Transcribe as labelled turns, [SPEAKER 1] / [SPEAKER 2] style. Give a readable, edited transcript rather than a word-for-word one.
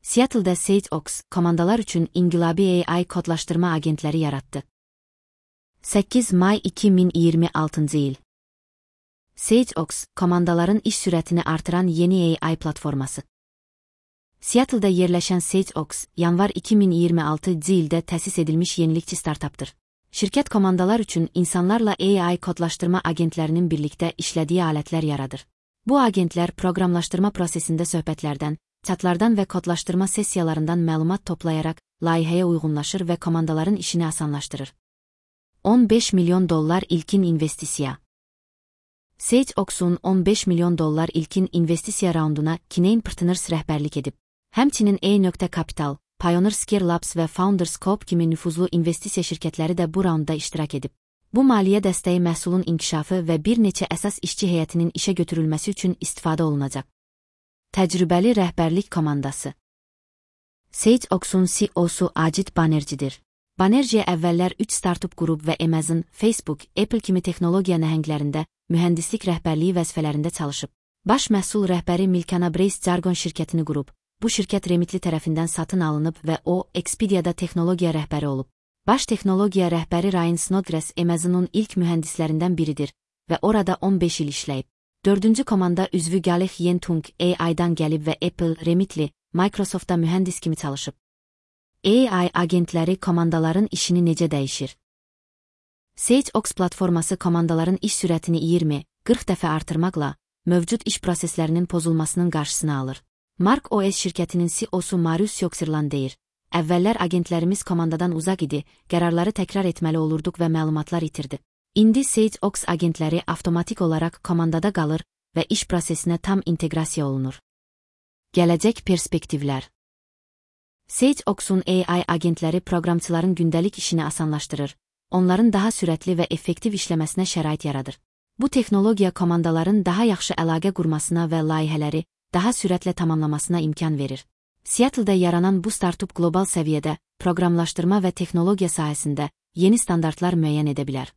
[SPEAKER 1] Seattle'da SageOx, komandalar üçün inqilabi AI kodlaşdırma agentləri yaratdı. 8 may 2026 il. SageOx, komandaların iş sürətini artıran yeni AI platforması. Seattle'da yerləşən SageOx, yanvar 2026 ildə təsis edilmiş yenilikçi startapdır. Şirkət komandalar üçün insanlarla AI kodlaşdırma agentlərinin birlikdə işlədiyi alətlər yaradır. Bu agentlər proqramlaşdırma prosesində söhbətlərdən, chatlardan və kodlaşdırma sessiyalarından məlumat toplayaraq layihəyə uyğunlaşır və komandaların işini asanlaşdırır. $15 milyon ilkin investisiya. SageOx'un $15 milyon ilkin investisiya raunduna Kinein Partners rəhbərlik edib. Həmçinin E.Capital, Pioneer Scale Labs və Founderscope kimi nüfuzlu investisiya şirkətləri də bu raundda iştirak edib. Bu maliyyə dəstəyi məhsulun inkişafı və bir neçə əsas işçi heyətinin işə götürülməsi üçün istifadə olunacaq. Təcrübəli rəhbərlik komandası. SageOx'un CEO-su Ajit Banerjee'dir. Banerjee əvvəllər 3 startup qrup və Amazon, Facebook, Apple kimi texnologiya nəhənglərində mühəndislik rəhbərliyi vəzifələrində çalışıb. Baş məhsul rəhbəri Milkana Brace Jargon şirkətini qurub. Bu şirkət Remitly tərəfindən satın alınıb və o, Expedia'da texnologiya rəhbəri olub. Baş texnologiya rəhbəri Ryan Snodgrass Amazon'un ilk mühəndislərindən biridir və orada 15 il işləyib. 4-cü komanda üzvü Galih Yentung AI-dan gəlib və Apple, Remitly, Microsoftda mühəndis kimi çalışıb. AI agentləri komandaların işini necə dəyişir? SageOx platforması komandaların iş sürətini 20-40 dəfə artırmaqla mövcud iş proseslərinin pozulmasının qarşısını alır. Mark OS şirkətinin CEO-su Marius Yoxirlan deyir: "Əvvəllər agentlərimiz komandadan uzaq idi, qərarları təkrar etməli olurduq və məlumatlar itirdi. İndi SageOx agentləri avtomatik olaraq komandada qalır və iş prosesinə tam inteqrasiya olunur." Gələcək perspektivlər. SageOx'un AI agentləri proqramçıların gündəlik işini asanlaşdırır, onların daha sürətli və effektiv işləməsinə şərait yaradır. Bu texnologiya komandaların daha yaxşı əlaqə qurmasına və layihələri daha sürətlə tamamlamasına imkan verir. Seattle'da yaranan bu startup qlobal səviyyədə proqramlaşdırma və texnologiya sahəsində yeni standartlar müəyyən edə bilər.